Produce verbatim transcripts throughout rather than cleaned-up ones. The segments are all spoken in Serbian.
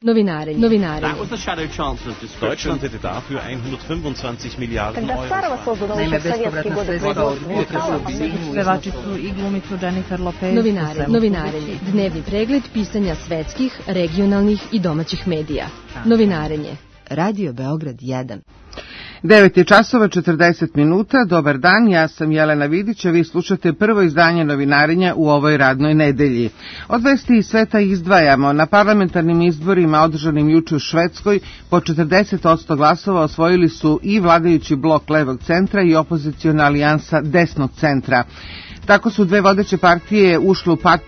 Novinarenje. Novinarenje. Deutschland hätte dafür hundertfünfundzwanzig Miliarden Euro. Naime, bespovratna sredstva od pevačicu i glumicu Jennifer Lopez. Novinarenje. Novinarenje. Dnevni pregled pisanja svetskih, regionalnih i domaćih medija. Novinarenje. Radio Beograd jedan. devet je časova četrdeset minuta, dobar dan, ja sam Jelena Vidić, a vi slušate prvo izdanje Novinarenja u ovoj radnoj nedelji. Od vesti iz sveta izdvajamo, na parlamentarnim izborima održanim juče u Švedskoj po četrdeset posto glasova osvojili su i vladajući blok levog centra i opoziciona alijansa desnog centra. Tako su dve vodeće partije ušle u pat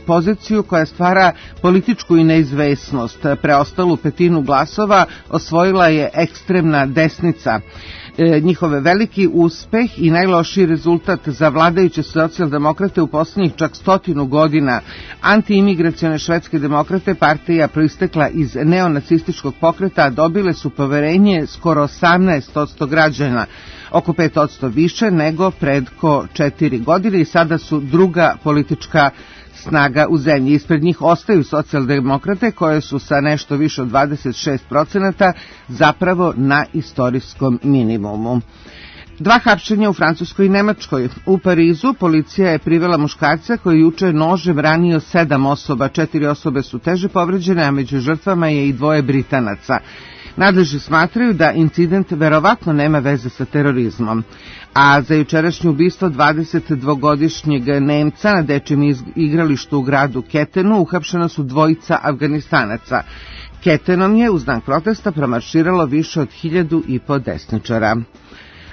poziciju koja stvara političku i neizvesnost. Preostalu petinu glasova osvojila je ekstremna desnica. E, njihove veliki uspeh i najlošiji rezultat za vladajuće socijaldemokrate u posljednjih čak stotinu godina. Antiimigracione švedske demokrate, partija proistekla iz neonacističkog pokreta, dobile su poverenje skoro osamnaest posto građana, oko pet posto više nego predko četiri godine i sada su druga politička snaga u zemlji. Ispred njih ostaju socijaldemokrate koje su sa nešto više od dvadeset šest procenata zapravo na istorijskom minimumu. Dva hapšenja u Francuskoj i Nemačkoj. U Parizu policija je privela muškarca koji juče nožem ranio sedam osoba. Četiri osobe su teže povređene, a među žrtvama je i dvoje Britanaca. Nadležni smatraju da incident verovatno nema veze sa terorizmom. A za jučerašnje ubistvo dvadesetdvogodišnjeg Nemca na dečijem igralištu u gradu Ketenu uhapšena su dvojica Afganistanaca. Ketenom je u znak protesta promarširalo više od hiljadu i po desničara.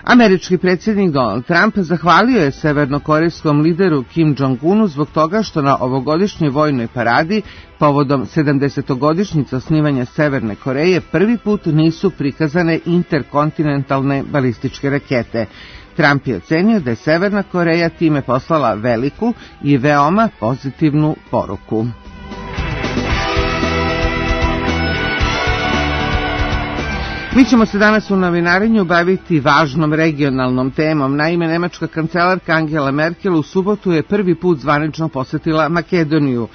Američki predsjednik Donald Trump zahvalio je severnokorejskom lideru Kim Jong-unu zbog toga što na ovogodišnjoj vojnoj paradi povodom sedamdesetogodišnjice osnivanja Severne Koreje prvi put nisu prikazane interkontinentalne balističke rakete. Trump je ocenio da je Severna Koreja time poslala veliku i veoma pozitivnu poruku. Mi ćemo se danas u novinarenju baviti važnom regionalnom temom. Naime, nemačka kancelarka Angela Merkel u subotu je prvi put zvanično posetila Makedoniju.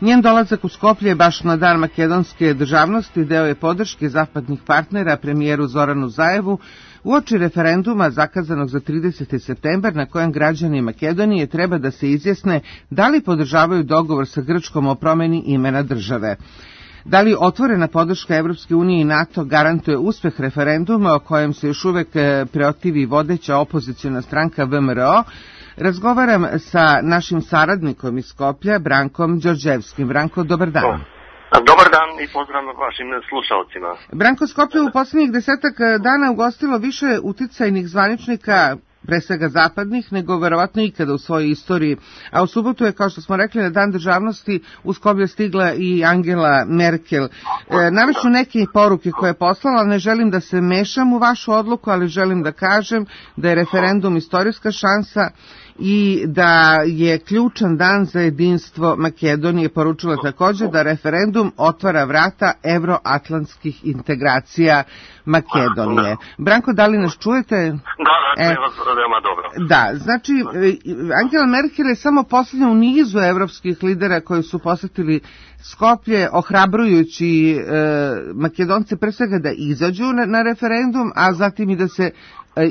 Njen dolazak u Skoplje baš na dan makedonske državnosti deo je podrške zapadnih partnera premijeru Zoranu Zaevu uoči referenduma zakazanog za trideseti septembar na kojem građani Makedonije treba da se izjasne da li podržavaju dogovor sa Grčkom o promeni imena države. Da li otvorena podrška Evropske unije i NATO garantuje uspeh referenduma o kojem se još uvek protivi vodeća opoziciona stranka V M R O, razgovaram sa našim saradnikom iz Skoplja, Brankom Đorđevskim. Branko, dobar dan. Dobar dan i pozdrav vašim slušalcima. Branko, Skoplje u posljednjih desetak dana ugostilo više uticajnih zvaničnika, pre svega zapadnih, nego verovatno ikada u svojoj istoriji. A u subotu je, kao što smo rekli, na dan državnosti u Skoplje stigla i Angela Merkel. E, Naviću neke poruke koje je poslala, ne želim da se mešam u vašu odluku, ali želim da kažem da je referendum istorijska šansa i da je ključan dan za jedinstvo Makedonije. Poručila također da referendum otvara vrata evroatlantskih integracija Makedonije. Branko, da li nas čujete? Da, da, e, veoma dobro. Da, znači, Angela Merkel je samo posljednja u nizu evropskih lidera koji su posetili Skoplje, ohrabrujući e, Makedonce pre svega da izađu na, na referendum, a zatim i da se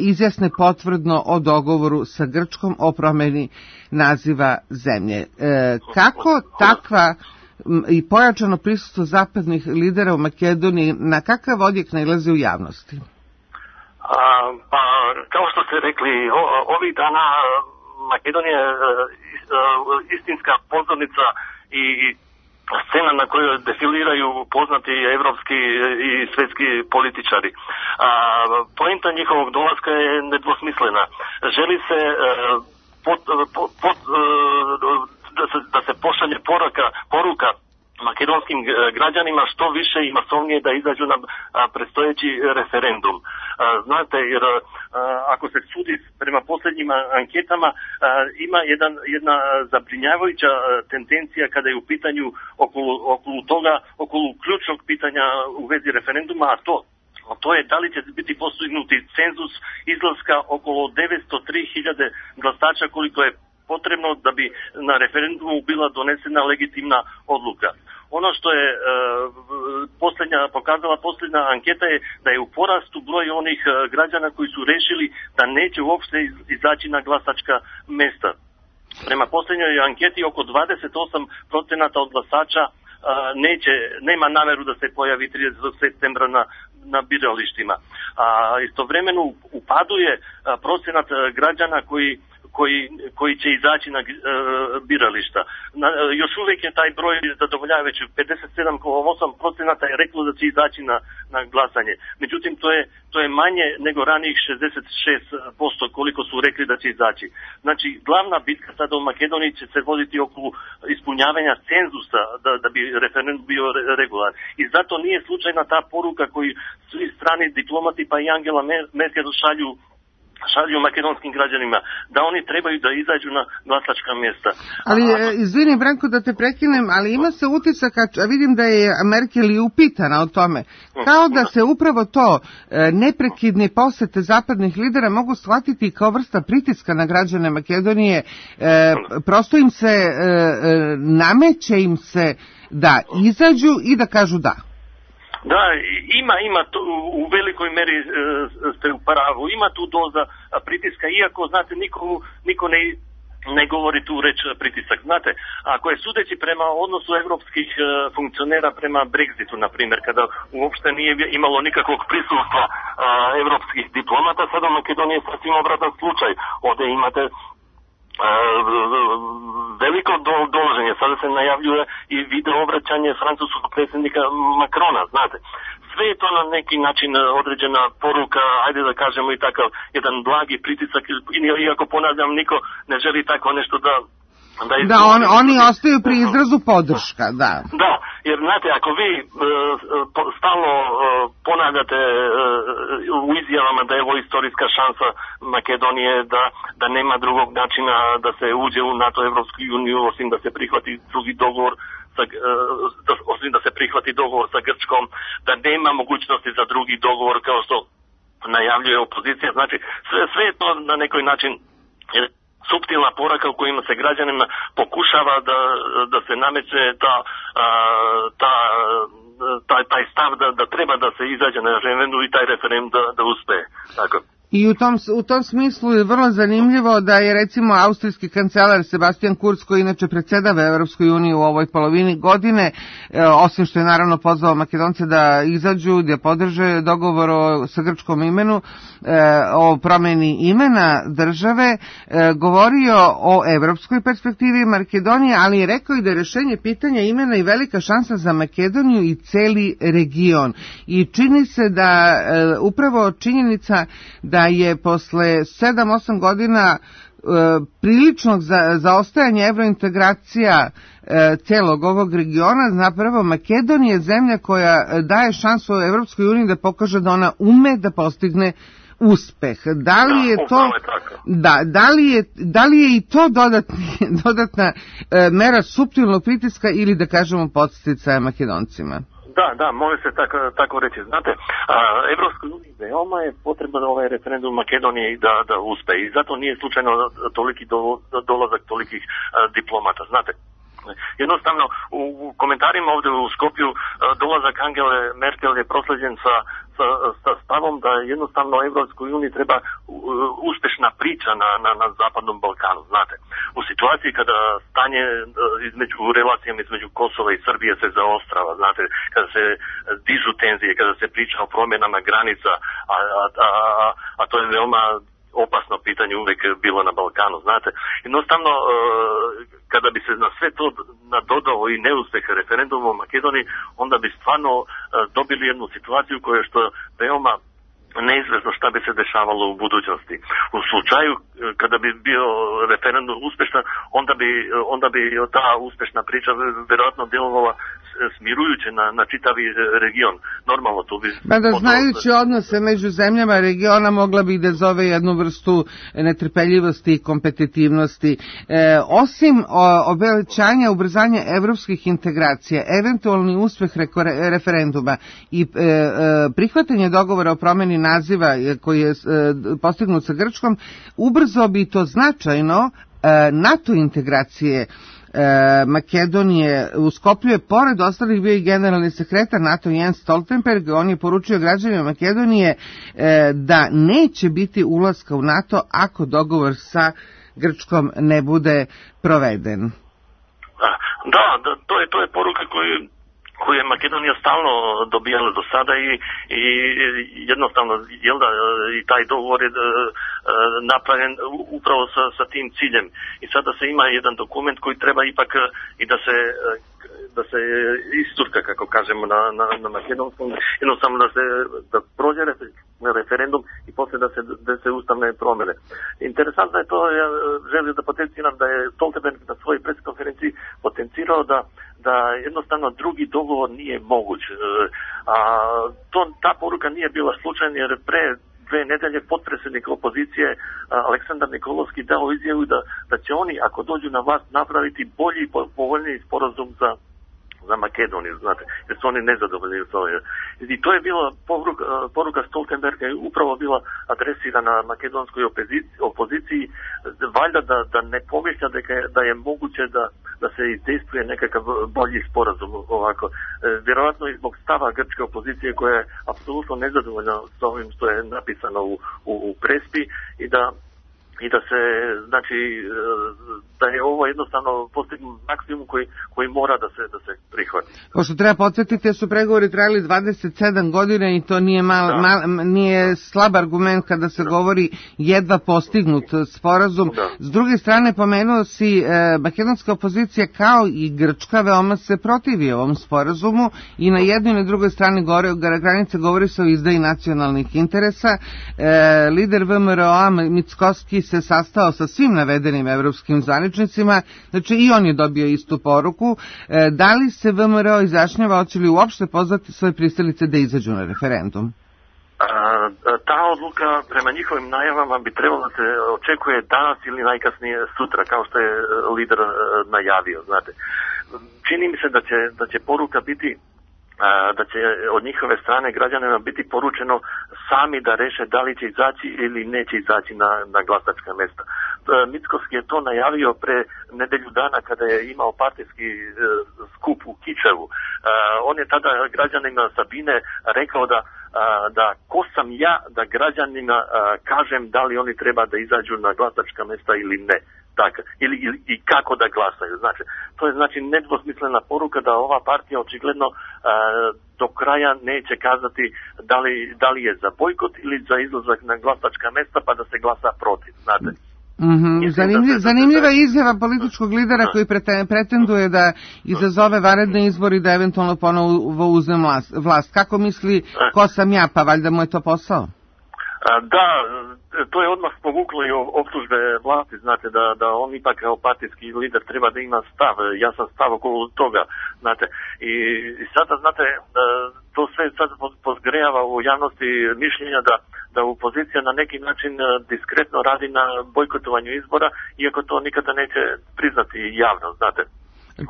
izjasne potvrdno o dogovoru sa Grčkom o promeni naziva zemlje. E, kako takva i pojačano prisustvo zapadnih lidera u Makedoniji, na kakav odjek nailazi u javnosti? A, pa, kao što ste rekli, o, ovih dana Makedonija je istinska pozornica i scena na kojoj defiliraju poznati evropski i svjetski političari. A, poenta njihovog dolaska je nedvosmislena. Želi se pot, pot, pot, da se, da se pošalje poruka, poruka makedonskim građanima što više i masovnije da izađu na predstojeći referendum. Znate, jer ako se sudi prema posljednjim anketama, ima jedan, jedna zabrinjavajuća tendencija kada je u pitanju okolo, okolo toga, okolo ključnog pitanja u vezi referenduma, a to A to je da li će biti postignuti cenzus izlaska okolo devetsto tri hiljade glasača koliko je potrebno da bi na referendumu bila donesena legitimna odluka. Ono što je e, posljednja, pokazala posljednja anketa je da je u porastu broj onih građana koji su rešili da neće uopšte izaći na glasačka mesta. Prema posljednjoj anketi oko dvadeset osam procenata od glasača neće, nema nameru da se pojavi tridesetog septembra na, na biralištima. A istovremeno u padu je procenat građana koji Koji, koji će izaći na e, birališta. Na, još uvijek je taj broj zadovoljavajući, pedeset sedam zarez osam procenata je reklo da će izaći na, na glasanje. Međutim, to je, to je manje nego ranijih šezdeset šest posto koliko su rekli da će izaći. Znači, glavna bitka sada u Makedoniji će se voditi oko ispunjavanja cenzusa da, da bi referendum bio regular. I zato nije slučajna ta poruka koju svi strani diplomati pa i Angela Merkel šalju šalju makedonskim građanima, da oni trebaju da izađu na glasačka mjesta. Ali, a, izvini Branko da te prekinem, ali ima se utisak, a vidim da je Merkel i upitana o tome, kao da se upravo to neprekidne posete zapadnih lidera mogu shvatiti kao vrsta pritiska na građane Makedonije, e, prosto im se e, nameće im se da izađu i da kažu da. Da, ima, ima tu, u velikoj meri e, ste u pravu, ima tu doza pritiska, iako, znate, niko, niko ne, ne govori tu reč pritisak. Znate, ako je sudeći prema odnosu evropskih e, funkcionera prema Brexitu, na primjer, kada uopšte nije imalo nikakvog prisustva e, evropskih diplomata, sada u Makedoniji je sasvim obratan slučaj. Ovdje imate veliko dolaženje. Sada se najavljuje i video obraćanje francuskog predsjednika Macrona, znate. Sve je to na neki način određena poruka, ajde da kažemo i takav jedan blagi pritisak, iako ponavljam, niko ne želi tako nešto da Da, da on, oni ostaju pri izrazu podrška, da. Da, jer znate, ako vi e, stalno e, ponavljate e, u izjavama da je ovo istorijska šansa Makedonije, da, da nema drugog načina da se uđe u NATO, Evropsku uniju, osim da se prihvati drugi dogovor, sa, e, da, osim da se prihvati dogovor sa Grčkom, da nema mogućnosti za drugi dogovor kao što najavljuje opozicija. Znači, sve, sve je to na nekoj način suptilna poraka u kojima se građanima pokušava da, da se nameće ta, ta, taj, taj stav da, da treba da se izađe na referendum i taj referendum da, da uspe. Tako. I u tom, u tom smislu je vrlo zanimljivo da je recimo austrijski kancelar Sebastian Kurz, koji inače predsjedava Evropskoj uniji u ovoj polovini godine, e, osim što je naravno pozvao Makedonce da izađu, da podrže dogovor o, sa grčkom imenu, e, o promjeni imena države, e, govorio o evropskoj perspektivi Makedonije, ali je rekao i da je rješenje pitanja imena i velika šansa za Makedoniju i celi region. I čini se da e, upravo činjenica da da je posle sedam osam godina e, priličnog za, zaostajanja evrointegracija e, celog ovog regiona, zapravo Makedonija je zemlja koja daje šansu Evropskoj uniji da pokaže da ona ume da postigne uspeh. Da li je to da, da li je, da li je i to dodatni, dodatna e, mera suptilnog pritiska ili da kažemo podsticaja Makedoncima? Da, da, može se tako, tako reći. Znate, Evropskoj uniji veoma je potreban ovaj referendum Makedonije da, da uspe i zato nije slučajno toliki do, dolazak tolikih a, diplomata. Znate, jednostavno u, u komentarima ovdje u Skopju a, dolazak Angele Merkel je prosleđen sa, sa, sa stavom da jednostavno Evropskoj uniji treba u, uspješna priča na, na, na Zapadnom Balkanu. Znate, u situaciji kada stanje između relacijama između Kosova i Srbije se zaostrava, znate, kada se dižu tenzije, kada se priča o promjenama granica, a, a, a, a to je veoma opasno pitanje uvijek bilo na Balkanu, znate. Jednostavno, kada bi se na sve to nadodao i neuspeh referenduma u Makedoniji, onda bi stvarno dobili jednu situaciju koja je što veoma neizvjesno šta bi se dešavalo u budućnosti. U slučaju kada bi bio referendum uspješan, onda bi, onda bi ta uspješna priča vjerojatno djelovala smirujuće na, na čitavi region. Normalno to bi... Mada znajući odnose među zemljama regiona mogla bi da zove jednu vrstu netrpeljivosti i kompetitivnosti. E, osim o, obećanja ubrzanja evropskih integracija, eventualni uspeh reko, referenduma i e, e, prihvatanje dogovora o promjeni naziva koji je e, postignut sa Grčkom, ubrzo bi to značajno e, NATO integracije Makedonije u Skoplju je pored ostalih bio i generalni sekretar NATO Jens Stoltenberg. On je poručio građanima Makedonije da neće biti ulaska u NATO ako dogovor sa Grčkom ne bude proveden. Da, da to je to je poruka koju koju je Makedonija stalno dobijala do sada i, i jednostavno jel da, i taj dogovor je napravljen upravo sa, sa tim ciljem. I sada se ima jedan dokument koji treba ipak i da se da se isturka, kako kažemo na, na, na makedonskom, jednostavno da se da prođe referendum i posle da se, da se ustavne promene. Interesantno je to, ja želim da potenciram da je Stoltenberg na svojoj preskonferenciji potencirao da da jednostavno drugi dogovor nije moguć. A to, ta poruka nije bila slučajna jer pre dve nedelje potpredsjednik opozicije Aleksandar Nikolovski dao izjavu da, da će oni ako dođu na vlast napraviti bolji i povoljniji sporazum za za Makedoniju, znate, jer su oni nezadovoljni u tome. I to je bila poruka, poruka Stoltenberga je upravo bila adresirana makedonskoj opoziciji, opoziciji valjda da, da ne pomišlja da je, da je moguće da, da se izdejstvuje nekakav bolji sporazum ovako. E, vjerovatno i zbog stava grčke opozicije koja je apsolutno nezadovoljna s ovim što je napisano u, u, u Prespi i da i da se, znači, da je ovo jednostavno postignut maksimum koji, koji mora da se, da se prihvati. Pošto treba podsjetiti, su pregovori trajali dvadeset sedam godina i to nije, mal, mal, nije slab argument kada se da. govori jedva postignut sporazum. Da. S druge strane, pomenuo si, eh, makedonska opozicija kao i Grčka veoma se protivi ovom sporazumu i na jednoj i na drugoj strani gore, granice govori se o izdaji nacionalnih interesa. Eh, lider V M R O-a Mickoski se sastao sa svim navedenim evropskim zvaničnicima, znači i on je dobio istu poruku. E, da li se V M R O izjašnjava, hoće li uopšte pozvati svoje pristalice da izađu na referendum? A, ta odluka prema njihovim najavama bi trebalo da se očekuje danas ili najkasnije sutra, kao što je lider najavio, znate. Čini mi se da će, da će poruka biti da će od njihove strane građanima biti poručeno sami da reše da li će izaći ili neće izaći na, na glasačka mjesta. Mickoski je to najavio pre nedelju dana kada je imao partijski skup u Kičevu. On je tada građanima Sabine rekao da, da ko sam ja da građanima kažem da li oni treba da izađu na glasačka mjesta ili ne. Tako, ili, ili i kako da glasaju. Znači, to je znači nedvosmislena poruka da ova partija očigledno uh, do kraja neće kazati da li, da li je za bojkot ili za izlazak na glasačka mjesta pa da se glasa protiv, znate. Mm-hmm. Zanimljiv, zanimljiva izjava političkog lidera koji pretenduje da izazove vanredne izbori i da eventualno ponovo uzme vlast. Kako misli, ko sam ja, pa valjda mu je to posao? Da, to je odmah povuklo i optužbe vlasti, znate, da, da on ipak kao partijski lider treba da ima stav, jasan stav oko toga, znate. I, i sada, znate, to sve sad pozgrejava u javnosti mišljenja da, da opozicija na neki način diskretno radi na bojkotovanju izbora, iako to nikada neće priznati javno, znate.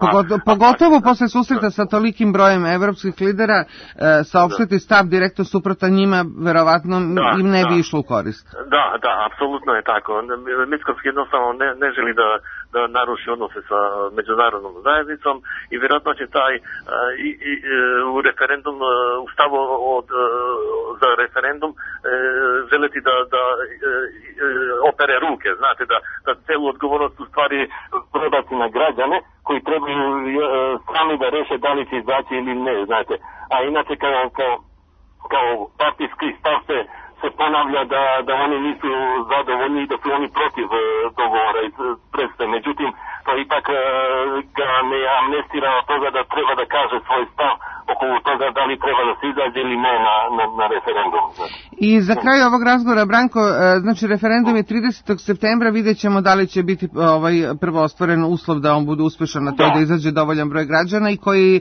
Pogotovo, pogotovo posle susreta sa tolikim brojem evropskih lidera, e, saopštiti stav direktno suprotan njima, verovatno da, im ne bi išlo u korist. Da, da, apsolutno je tako. Mickoski jednostavno ne, ne želi da, da naruši odnose sa međunarodnom zajednicom i vjerojatno će taj e, i, i, u referendum, u stavu od, za referendum e, želeti da, da e, opere ruke, znate, da, da celu odgovornost u stvari prebaci na građane koji trebaju sami da reše da li će izaći ili ne, znate. A inače kao, kao, kao partijski stav se, se ponavlja da, da oni nisu zadovoljni i da su oni protiv dogovora iz Prespe. Međutim, to ipak ga ne amnestira od toga da treba da kaže svoj stav oko toga da li treba da se izađe ili ne na, na, na referendum. I za kraj ovog razgovora, Branko, znači referendum je tridesetog septembra, vidjet ćemo da li će biti ovaj, prvo ostvaren uslov da on bude uspešan na to da. da izađe dovoljan broj građana i koji,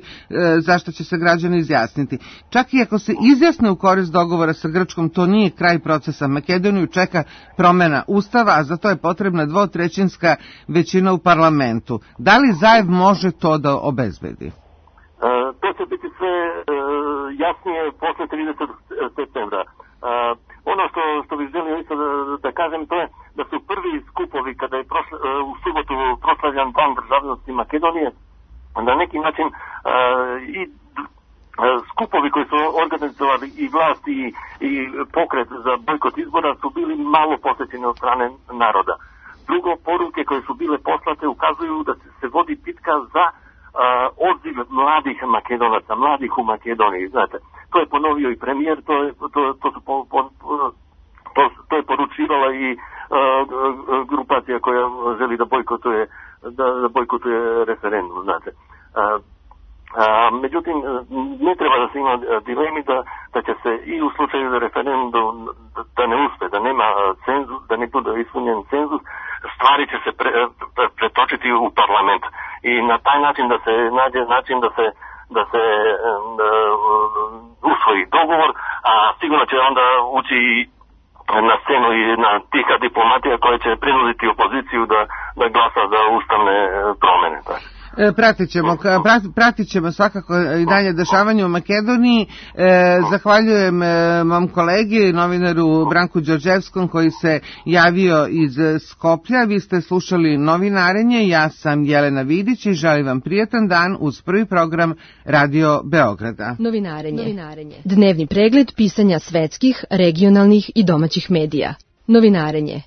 zašto će se građani izjasniti. Čak i ako se izjasne u korist dogovora sa Grčkom, to nije kraj procesa. Makedoniju čeka promena ustava, a za to je potrebna dvotrećinska većina u parlamentu. Da li Zaev može to da obezbedi? Uh, to će biti sve uh, jasnije posle tridesetog septembra. Uh, on ono što, što bih želio isto da, da kažem, to je da su prvi skupovi kada je prosla, u subotu proslavljan dan državnosti Makedonije, na neki način uh, i skupovi koji su organizovali i vlast i, i pokret za bojkot izbora su bili malo posjećeni od strane naroda. Drugo, poruke koje su bile poslate ukazuju da se vodi bitka za uh, odziv mladih Makedonaca, mladih u Makedoniji, znate. To je ponovio i premijer, to je, to, to su po, po, to, to je poručivala i uh, grupacija koja želi da bojkotuje, da, da bojkotuje referendum, znate. Uh, A, međutim, ne treba da se ima dilemi da, da će se i u slučaju referendum da, da ne uspe, da nema cenzus, da ne bude ispunjen cenzus, stvari će se pre, pre, pretočiti u parlament. I na taj način da se nađe način da se, da se da, usvoji dogovor, a sigurno će onda ući i na scenu i jedna tiha diplomatija koja će prinuditi opoziciju da, da glasa za ustavne promjene. Tako. Pratit ćemo, pratit ćemo svakako i dalje dešavanje u Makedoniji. Zahvaljujem mom kolegi, novinaru Branku Đorđevskom koji se javio iz Skoplja. Vi ste slušali Novinarenje, ja sam Jelena Vidić i želim vam prijatan dan uz prvi program Radio Beograda. Novinarenje. Novinarenje. Dnevni pregled pisanja svetskih, regionalnih i domaćih medija. Novinarenje.